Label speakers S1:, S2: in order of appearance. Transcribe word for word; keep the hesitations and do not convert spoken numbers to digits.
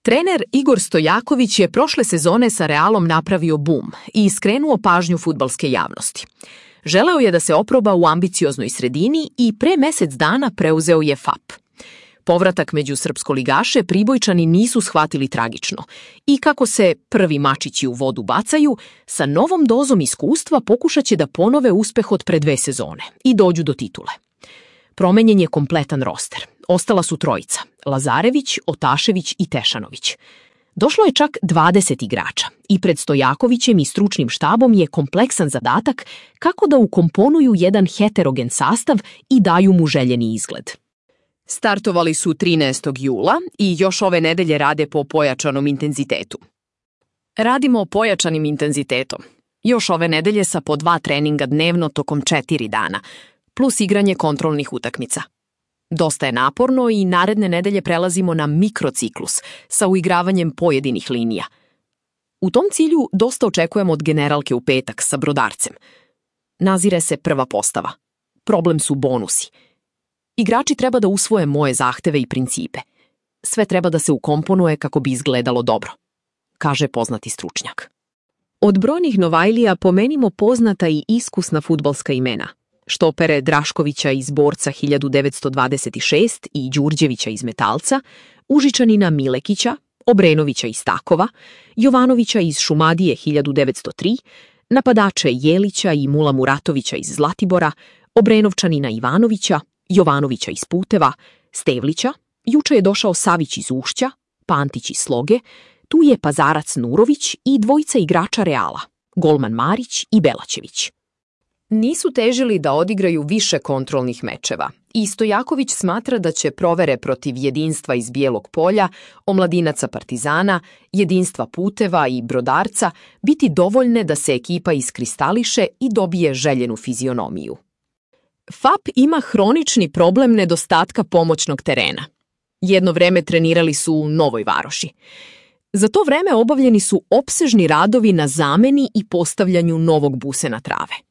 S1: Trener Igor Stojaković je prošle sezone sa Realom napravio bum i skrenuo pažnju fudbalske javnosti. Želeo je da se oproba u ambicioznoj sredini i pre mesec dana preuzeo je F A P. Povratak među srpskoligaše Pribojčani nisu shvatili tragično i kako se prvi mačići u vodu bacaju, sa novom dozom iskustva pokušat će da ponove uspeh od pre dve sezone i dođu do titule. Promenjen je kompletan roster. Ostala su trojica, Lazarević, Otašević i Tešanović. Došlo je čak dvadeset igrača i pred Stojakovićem i stručnim štabom je kompleksan zadatak kako da ukomponuju jedan heterogen sastav i daju mu željeni izgled. Startovali su trinaestog jula i još ove nedelje rade po pojačanom intenzitetu. Radimo pojačanim intenzitetom. Još ove nedelje sa po dva treninga dnevno tokom četiri dana, plus igranje kontrolnih utakmica. Dosta je naporno i naredne nedelje prelazimo na mikrociklus sa uigravanjem pojedinih linija. U tom cilju dosta očekujemo od generalke u petak sa Brodarcem. Nazire se prva postava. Problem su bonusi. Igrači treba da usvoje moje zahteve i principe. Sve treba da se ukomponuje kako bi izgledalo dobro, kaže poznati stručnjak. Od brojnih Novajlija pomenimo poznata i iskusna fudbalska imena. Štopere Draškovića iz Borca hiljadu devetsto dvadeset šest i Đurđevića iz Metalca, Užičanina Milekića, Obrenovića iz Takova, Jovanovića iz Šumadije hiljadu devetsto tri, napadače Jelića i Mula Muratovića iz Zlatibora, Obrenovčanina Ivanovića, Jovanovića iz Puteva, Stevlića, juče je došao Savić iz Ušća, Pantić iz Sloge, tu je Pazarac Nurović i dvojica igrača Reala, golman Marić i Belačević. Nisu težili da odigraju više kontrolnih mečeva i Stojaković smatra da će provere protiv Jedinstva iz Bijelog Polja, Omladinaca Partizana, Jedinstva Puteva i Brodarca biti dovoljne da se ekipa iskristališe i dobije željenu fizionomiju. F A P ima hronični problem nedostatka pomoćnog terena. Jedno vreme trenirali su u Novoj Varoši. Za to vreme obavljeni su opsežni radovi na zameni i postavljanju novog busena trave.